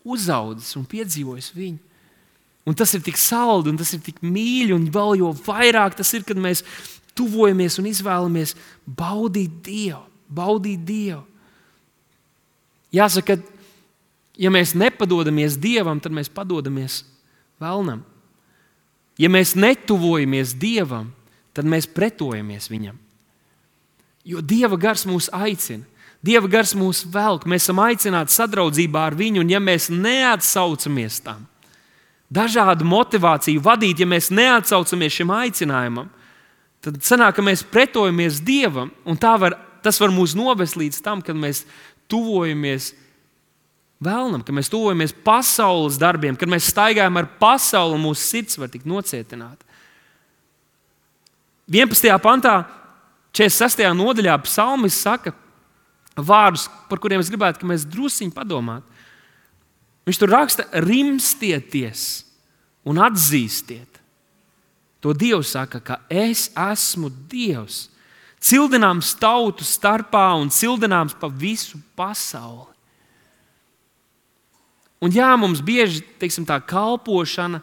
Speaker 1: uzaudzis un piedzīvojis viņu. Un tas ir tik saldi, un tas ir tik mīļi, un vēl jo vairāk tas ir, kad mēs tuvojamies un izvēlamies baudīt Dievu, baudīt Dievu. Jāsaka, ja mēs nepadodamies Dievam, tad mēs padodamies velnam. Ja mēs netuvojamies Dievam, tad mēs pretojamies viņam. Jo Dieva gars mūs aicina, Dieva gars mūs velk, mēs esam aicināti sadraudzībā ar viņu, un ja mēs neatsaucamies tam, dažādu motivāciju vadīt, ja mēs neatsaucamies šim aicinājumam, tad sanāk, ka mēs pretojamies Dievam, un tā var, tas var mūs novest līdz tam, kad mēs tuvojamies velnam, kad mēs tuvojamies pasaules darbiem, kad mēs staigājam ar pasauli, un mūsu sirds var tikt nocietināta. vienpadsmitajā pantā, četrdesmit sestajā nodaļā psalmis saka vārdus, par kuriem es gribētu, ka mēs drusciņi padomātu. Viņš tur raksta, rimstieties un atzīstiet. To Dievs saka, ka es esmu Dievs, cildināms tautu starpā un cildināms pa visu pasauli. Un jā, mums bieži, teiksim, tā kalpošana,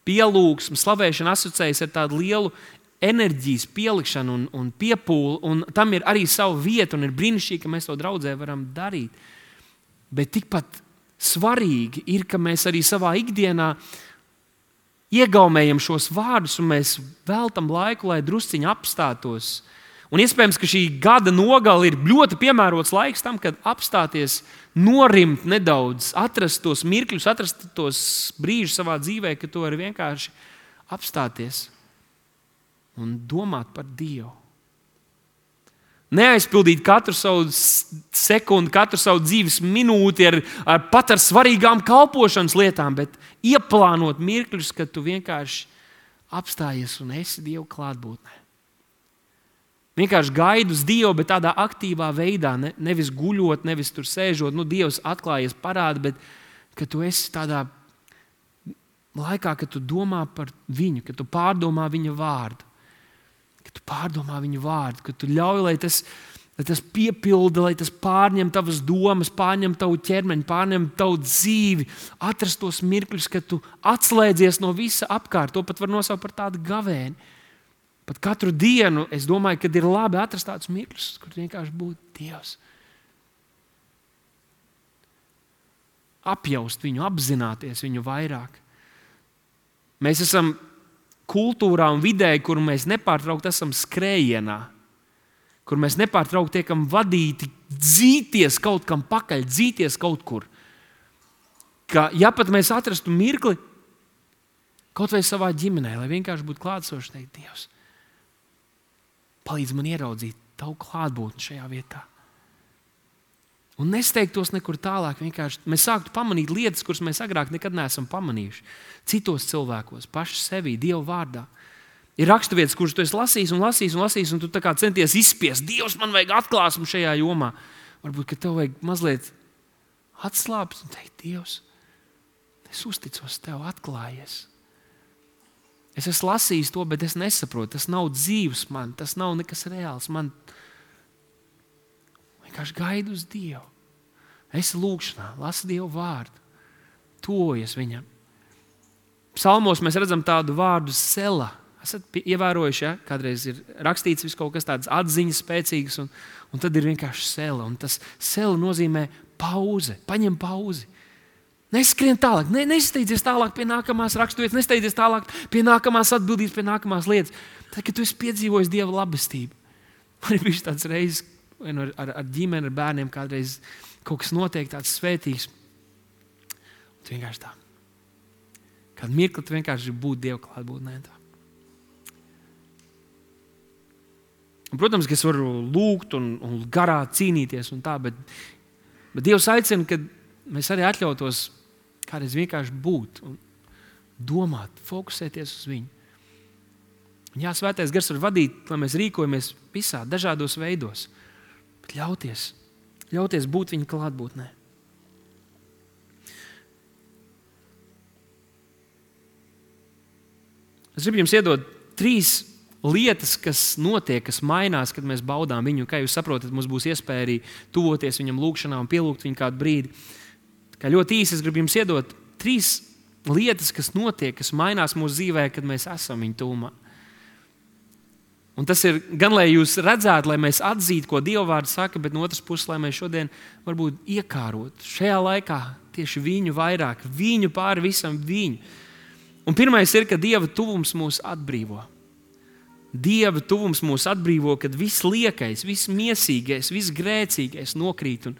Speaker 1: pielūgsme, slavēšana asociējas ar tādu lielu enerģijas pielikšanu un, un piepūli, un tam ir arī sava vieta, un ir brīnišķīgi, ka mēs to draudzē varam darīt. Bet tikpat svarīgi ir, ka mēs arī savā ikdienā iegaumējam šos vārdus, un mēs veltam laiku, lai drusciņi apstātos. Un iespējams, ka šī gada nogale ir ļoti piemērots laiks tam, kad apstāties, norimt nedaudz, atrast tos mirkļus, atrast tos brīžus savā dzīvē, ka tu vari vienkārši apstāties un domāt par Dievu. Neaizpildīt katru savu sekundi, katru savu dzīves minūti ar, ar pat ar svarīgām kalpošanas lietām, bet ieplānot mirkļus, kad tu vienkārši apstājies un esi Dieva klātbūtnē. Vienkārši gaidi uz Dievu, bet tādā aktīvā veidā, ne, nevis guļot, nevis tur sēžot, nu Dievs atklājies parāda, bet ka tu esi tādā laikā, kad tu domā par viņu, kad tu pārdomā viņa vārdu. Kad tu pārdomā viņu vārdu, kad tu ļauj, lai tas, lai tas piepilda, lai tas pārņem tavas domas, pārņem tavu ķermeni, pārņem tavu dzīvi, atrast tos mirkļus, kad tu atslēdzies no visa apkārt. To pat var nosaukt par tādu gavēni. Pat katru dienu es domāju, kad ir labi atrast tādus mirkļus, kur vienkārši būtu Dievs. Apjaust viņu, apzināties viņu vairāk. Mēs esam kultūrā un vidē, kur mēs nepārtraukti esam skrējienā, kur mēs nepārtraukti tiekam vadīti dzīties kaut kam pakaļ, dzīties kaut kur. Ka, ja pat mēs atrastu mirkli kaut vai savā ģimenē, lai vienkārši būtu klātsoši teikt, Dievs, palīdz man ieraudzīt tavu klātbūtni šajā vietā. Un nesteigtos nekur tālāk. Vienkārši mēs sāktu pamanīt lietas, kuras mēs agrāk nekad neesam pamanījuši. Citos cilvēkos, paši sevī, Dieva vārdā. Ir raksturvietas, kuras tu esi lasījis un lasījis un lasījis, un tu tā kā centies izspiest. Dievs, man vajag atklāsmu šajā jomā. Varbūt, ka tev vajag mazliet atslābt un teikt, Dievs, es uzticos tev, atklājies. Es esmu lasījis to, bet es nesaprotu. Tas nav dzīves man, tas nav nekas reāls. Man vienkārši gaidu uz Dievu. Es lūgšanā, lasu Dievu vārdu, tuvojies viņam. Psalmos mēs redzam tādu vārdu sela. Esat ievērojuši, ja? Kādreiz ir rakstīts viss kaut kas tāds atziņas spēcīgas, un, un tad ir vienkārši sela. Un tas sela nozīmē pauze, paņem pauzi. Neskrien tālāk, ne, nesteidzies tālāk pie nākamās raksturvietas, nesteidzies tālāk pie nākamās atbildības, pie nākamās lietas. Tad, kad tu esi piedzīvojis Dieva labestību, man ir bijis tāds reizes ar, ar, ar ģimeni, ar bērniem, kādreiz kaut kas notiek tāds svētīgs. Un tu vienkārši tā. Kādu mirkli tu vienkārši gribi būt Dieva klātbūtnē. Un, protams, ka es varu lūgt un, un garā cīnīties un tā, bet, bet Dievs aicina, ka mēs arī atļautos kādreiz vienkārši būt un domāt, fokusēties uz viņu. Un jā, svētais gars var vadīt, lai mēs rīkojamies visā, dažādos veidos, bet ļauties, ļauties būt viņa klātbūtnē. Es gribu jums iedot trīs lietas, kas notiek, kas mainās, kad mēs baudām viņu. Kā jūs saprotat, mums būs iespēja arī tuvoties viņam lūgšanā un pielūgt viņu kādu brīdi. Kā ļoti īsi es gribu jums iedot trīs lietas, kas notiek, kas mainās mūsu dzīvē, kad mēs esam viņa tuvumā. Un tas ir gan, lai jūs redzētu, lai mēs atzītu, ko Dieva vārds saka, bet no otras puses, lai mēs šodien varbūt iekārotu šajā laikā tieši viņu vairāk, viņu pāri visam viņu. Un pirmais ir, ka Dieva tuvums mūs atbrīvo. Dieva tuvums mūs atbrīvo, kad viss liekais, viss miesīgais, viss grēcīgais nokrīt. Un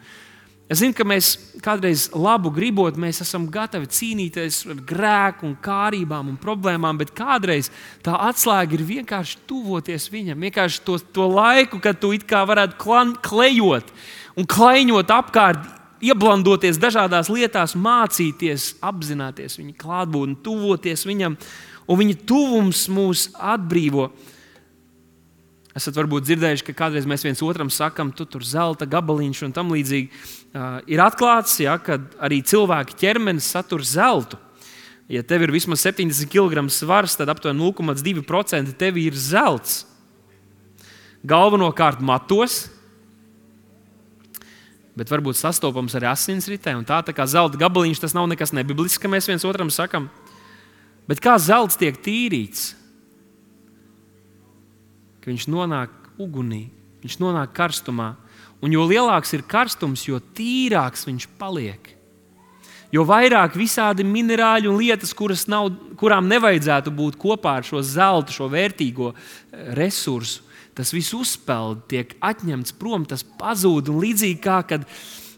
Speaker 1: es zinu, ka mēs kādreiz labu gribot, mēs esam gatavi cīnīties ar grēku un kārībām un problēmām, bet kādreiz tā atslēga ir vienkārši tuvoties viņam. Vienkārši to, to laiku, kad tu it kā varētu klan, klejot un klaiņot apkārt, ieblandoties dažādās lietās, mācīties, apzināties viņa klātbūtni, tuvoties viņam, un viņa tuvums mūs atbrīvo. Esat varbūt dzirdējuši, ka kādreiz mēs viens otram sakam, tu tur zelta gabaliņš un tam līdzīgi. Uh, ir atklāts, ja, ka arī cilvēka ķermenis satur zeltu. Ja tev ir vismaz septiņdesmit kilogramu svars, tad aptuveni nulle komats divi procenti tev ir zelts. Galvenokārt matos, bet varbūt sastopams arī asinsritē. Un tā, tā kā zelta gabaliņš, tas nav nekas nebiblisks, ka mēs viens otram sakam. Bet kā zelts tiek tīrīts? Ka viņš nonāk ugunī, viņš nonāk karstumā. Un jo lielāks ir karstums, jo tīrāks viņš paliek. Jo vairāk visādi minerāļi un lietas, kuras nav, kurām nevajadzētu būt kopā ar šo zeltu, šo vērtīgo resursu, tas viss uzpeld, tiek atņemts prom, tas pazūd. Un līdzīgi kā, kad,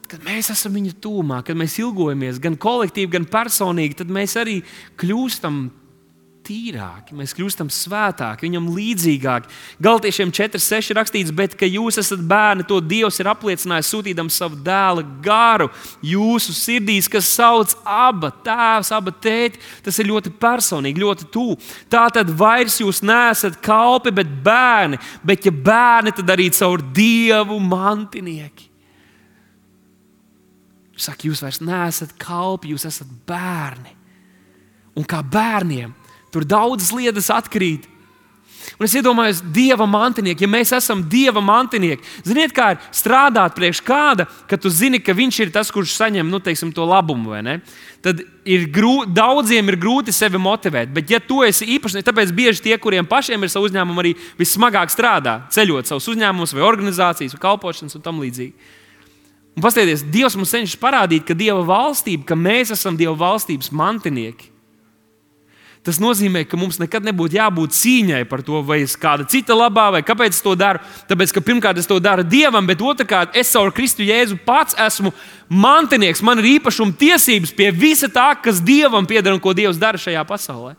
Speaker 1: kad mēs esam viņa tūmā, kad mēs ilgojamies gan kolektīvi, gan personīgi, tad mēs arī kļūstam tīrāki, mēs kļūstam svētāki, viņam līdzīgāki. Galatiešiem četri seši rakstīts, bet ka jūs esat bērni, to Dievs ir apliecinājis, sūtīdams savu dēla garu jūsu sirdīs, kas sauc aba tēvs, aba tēti. Tas ir ļoti personīgi, ļoti tuvu. Tātad vairs jūs neesat kalpi, bet bērni, bet ja bērni, tad arī caur Dievu mantinieki. Saka, jūs vairs neesat kalpi, jūs esat bērni. Un kā bērniem, tur daudzas lietas atkrīt. Un es iedomājos, Dieva mantinieki, ja mēs esam Dieva mantinieki, ziniet, kā ir strādāt priekš kāda, ka tu zini, ka viņš ir tas, kurš saņem, nu, teiksim, to labumu, vai ne? Tad ir grūti, daudziem ir grūti sevi motivēt, bet ja tu esi īpaši, tāpēc bieži tie, kuriem pašiem ir savu uzņēmumu, arī vissmagāk strādā, ceļot savus uzņēmumus vai organizācijas vai kalpošanas un tam līdzīgi. Un paskatieties, Dievs mums cenšas parādīt, ka Dieva valstība, ka mēs esam Dieva valstības mantinieki. Tas nozīmē, ka mums nekad nebūtu jābūt cīņai par to, vai es kāda cita labā, vai kāpēc es to daru. Tāpēc, ka pirmkārt es to daru Dievam, bet otrkārt es caur Kristu Jēzu pats esmu mantinieks. Man ir īpašuma tiesības pie visa tā, kas Dievam pieder un ko Dievs dara šajā pasaulē.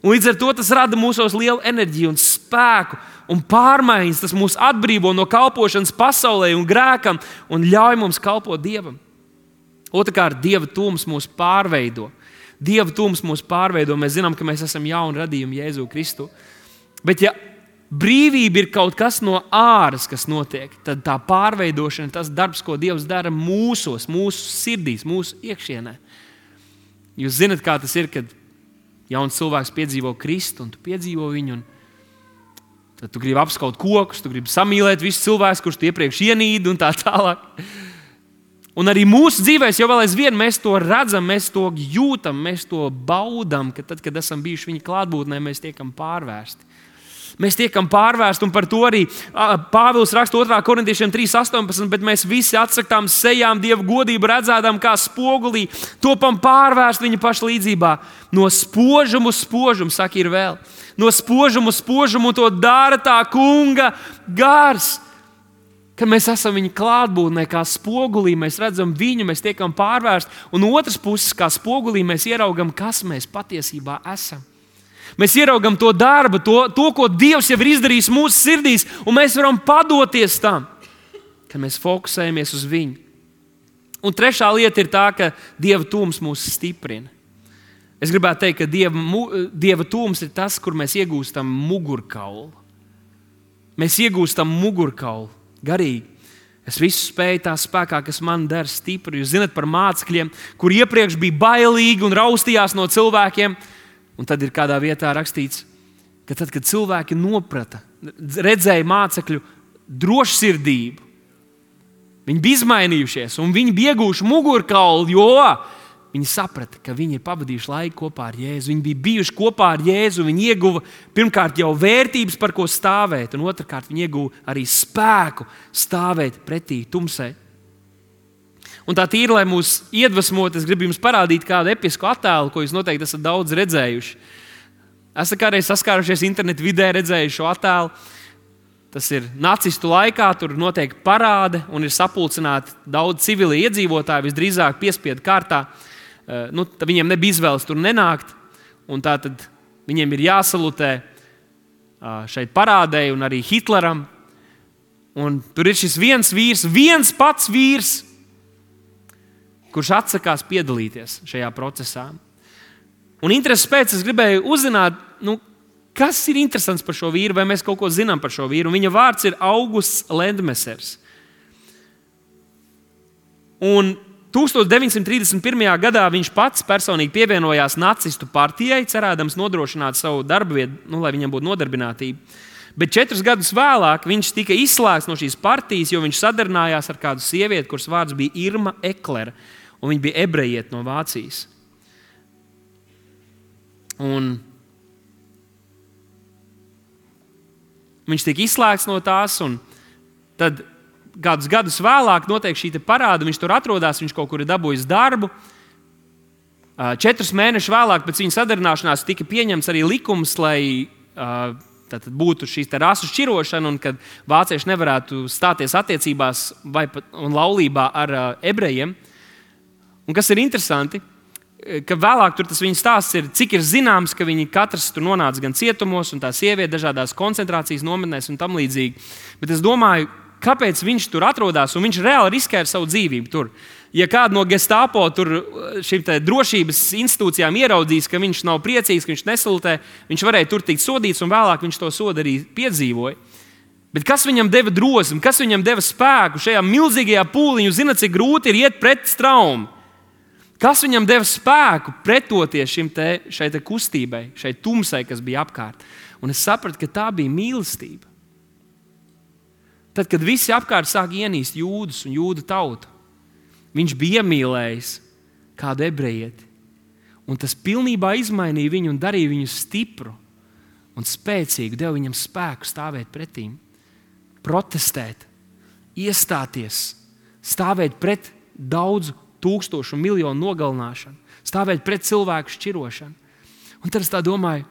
Speaker 1: Un līdz ar to tas rada mūsos lielu enerģiju un spēku un pārmaiņas, tas mūs atbrīvo no kalpošanas pasaulē un grēkam un ļauj mums kalpot Dievam. Otrkārt, Dieva tūms mūs pārveido. Dieva tūms mūs pārveido. Mēs zinām, ka mēs esam jauni radījumi Jēzu Kristu. Bet ja brīvība ir kaut kas no āras, kas notiek, tad tā pārveidošana, tas darbs, ko Dievs dara mūsos, mūsu sirdīs, mūsu iekšienē. Jūs zināt, kā tas ir, kad jauns cilvēks piedzīvo Kristu, un tu piedzīvo viņu, un tad tu gribi apskaut kokus, tu gribi samīlēt visus cilvēkus, kurus tu iepriekš ienīdi, un tā tālāk. Un arī mūsu dzīvēs jau vēl aizvien mēs to redzam, mēs to jūtam, mēs to baudam, ka tad, kad esam bijuši viņa klātbūtnē, mēs tiekam pārvērsti. Mēs tiekam pārvērsti, un par to arī Pāvils raksta otrā korintiešiem trīs astoņpadsmit, bet mēs visi atsakām sejām Dieva godību redzēdam kā spogulī, topam pārvērst viņa paša līdzībā. No spožumu uz spožumu, saka, ir vēl. No spožumu uz spožumu to dara tā kunga gars. Kad mēs esam viņa klātbūtnē, kā spogulī, mēs redzam viņu, mēs tiekam pārvērsti, un no otras puses, kā spogulī, mēs ieraugam, kas mēs patiesībā esam. Mēs ieraugam to darbu, to, to, ko Dievs jau ir izdarījis mūsu sirdīs, un mēs varam padoties tam, kad mēs fokusējamies uz viņu. Un trešā lieta ir tā, ka Dieva tūms mūs stiprina. Es gribētu teikt, ka Dieva, Dieva tūms ir tas, kur mēs iegūstam mugurkaulu. Mēs iegūstam mugurkaulu garīgi. Es visu spēju tā spēkā, kas man dara stipru. Jūs zināt par mācekļiem, kur iepriekš bija bailīgi un raustījās no cilvēkiem. Un tad ir kādā vietā rakstīts, ka tad, kad cilvēki noprata, redzēja mācekļu drošsirdību, viņi bija izmainījušies un viņi bija iegūši mugurkaulu, jo viņi saprata, ka viņi ir pavadījuši laiku kopā ar Jēzu. Viņi bija bijuši kopā ar Jēzu, viņi ieguva pirmkārt jau vērtības, par ko stāvēt, un otrkārt viņi ieguva arī spēku stāvēt pretī tumsai. Un tā tīri, lai mūs iedvesmot, es gribu jums parādīt kādu episku attēlu, ko jūs noteikti esat daudz redzējuši. Esat kādreiz saskārušies internetu vidē, redzējuši šo attēlu. Tas ir nacistu laikā, tur notiek parāde un ir sapulcināti daudz civili iedzīvotāji, visdrīzāk piespiedu kārtā. Nu, viņiem nebija izvēles tur nenākt, un tā tad viņiem ir jāsalutē šeit parādē un arī Hitleram. Un tur ir šis viens vīrs, viens pats vīrs, kurš atsakās piedalīties šajā procesā. Un intereses pēc es gribēju uzzināt, nu, kas ir interesants par šo vīru, vai mēs kaut ko zinām par šo vīru. Un viņa vārds ir Augusts Lendmesers. Un tūkstoš deviņsimt trīsdesmit pirmajā gadā viņš pats personīgi pievienojās nacistu partijai, cerēdams nodrošināt savu darbu vietu, nu, lai viņam būtu nodarbinātība. Bet četrus gadus vēlāk viņš tika izslēgts no šīs partijas, jo viņš sadarbojas ar kādu sievieti, kuras vārds bija Irma Eklera, un viņa bija ebrejiete no Vācijas. Un viņš tika izslēgts no tās, un tad kādus gadus vēlāk notiek šī parāda, viņš tur atrodas, viņš kaut kur ir dabūjis darbu. Četrus mēnešus vēlāk pēc viņa sadarināšanās tika pieņemts arī likums, lai tad būtu šī rasu šķirošana, un kad vācieši nevarētu stāties attiecībās vai pat un laulībā ar ebrejiem. Un kas ir interesanti, ka vēlāk tur tas viņa stāsts ir, cik ir zināms, ka viņi katrs tur nonāca gan cietumos, un tā sieviete dažādās koncentrācijas nometnēs un tam līdzīgi. Bet es domāju, kāpēc viņš tur atrodas, un viņš reāli riskē ar savu dzīvību tur. Ja kādu no Gestapo tur šīm drošības institūcijām ieraudzīs, ka viņš nav priecīgs, ka viņš nesalutē, viņš varēja tur tikt sodīts, un vēlāk viņš to sodu arī piedzīvoja. Bet kas viņam deva drosmi, kas viņam deva spēku šajā milzīgajā pūlī? Jūs zināt, cik grūti ir iet pret traumu. Kas viņam deva spēku pretoties šim te, šai te kustībai, šai tumsai, kas bija apkārt? Un es sapratu, ka tā bija mīlestība. Tad, kad visi apkārt sāk ienīst jūdus un jūdu tautu, viņš bija iemīlējis kādu ebrejieti. Un tas pilnībā izmainīja viņu un darīja viņu stipru un spēcīgu, deva viņam spēku stāvēt pretīm, protestēt, iestāties, stāvēt pret daudzu tūkstošu un miljonu nogalināšanu, stāvēt pret cilvēku šķirošanu. Un tad es tā domāju,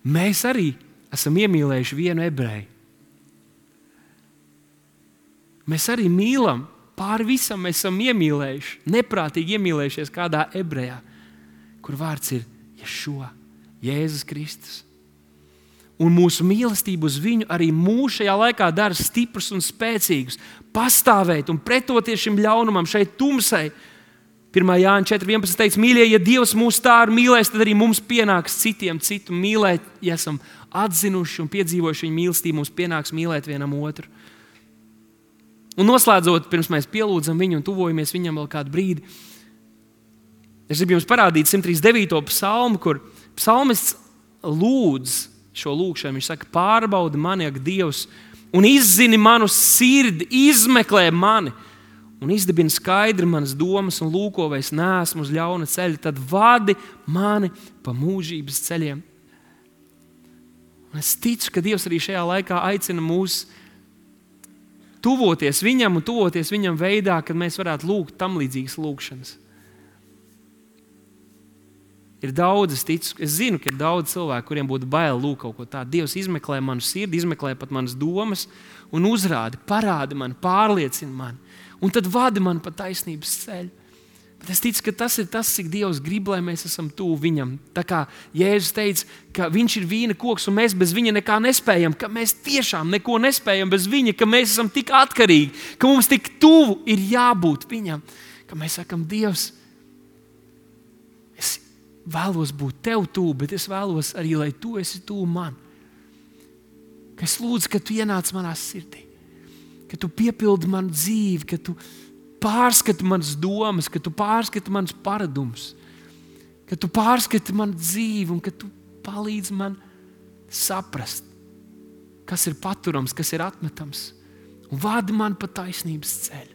Speaker 1: mēs arī esam iemīlējuši vienu ebreju. Mēs arī mīlam, pāri visam mēs esam iemīlējuši, neprātīgi iemīlējušies kādā ebrejā, kur vārds ir Ješua, Jēzus Kristus. Un mūsu mīlestība uz viņu arī mūs šajā laikā dara stiprus un spēcīgus. Pastāvēt un pretoties šim ļaunumam, šai tumsai. pirmā Jāņa četri vienpadsmit teica, mīļie, ja Dievs mūs tā ir mīlējis, tad arī mums pienāks citiem citu mīlēt. Ja esam atzinuši un piedzīvojuši viņa mīlestību, mums pienāks mīlēt vienam otru. Un noslēdzot, pirms mēs pielūdzam viņu un tuvojamies viņam vēl kādu brīdi, es gribu jums parādīt simt trīsdesmit devīto psalmu, kur psalmists lūdz šo lūkšanu. Viņš saka, pārbaudi mani, ak, Dievs, un izzini manu sirdi, izmeklē mani, un izdibini skaidri manas domas, un lūko, vai es neesmu uz ļauna ceļa, tad vadi mani pa mūžības ceļiem. Un es ticu, ka Dievs arī šajā laikā aicina mūs tuvoties viņam un tuvoties viņam veidā, kad mēs varētu lūgt tam līdzīgas lūkšanas. Ir daudz, es ticu, es zinu, ka ir daudz cilvēku, kuriem būtu bail lūgt kaut ko tādu. Dievs izmeklē manu sirdi, izmeklē pat manas domas un uzrādi, parādi man, pārliecina mani. Un tad vadi man pa taisnības ceļu. Bet es ticu, ka tas ir tas, cik Dievs grib, lai mēs esam tuvu viņam. Tā kā Jēzus teica, ka viņš ir vīna koks un mēs bez viņa nekā nespējam, ka mēs tiešām neko nespējam bez viņa, ka mēs esam tik atkarīgi, ka mums tik tuvu ir jābūt viņam. Ka mēs sakam, Dievs, es vēlos būt tev tuvu, bet es vēlos arī, lai tu esi tuvu man. Ka es lūdzu, ka tu ienāc manā sirdī. Ka tu piepildi manu dzīvi, ka tu pārskati manas domas, ka tu pārskati manas paradumus, ka tu pārskati manu dzīvi un ka tu palīdzi man saprast, kas ir paturams, kas ir atmetams, un vadi man pa taisnības ceļu.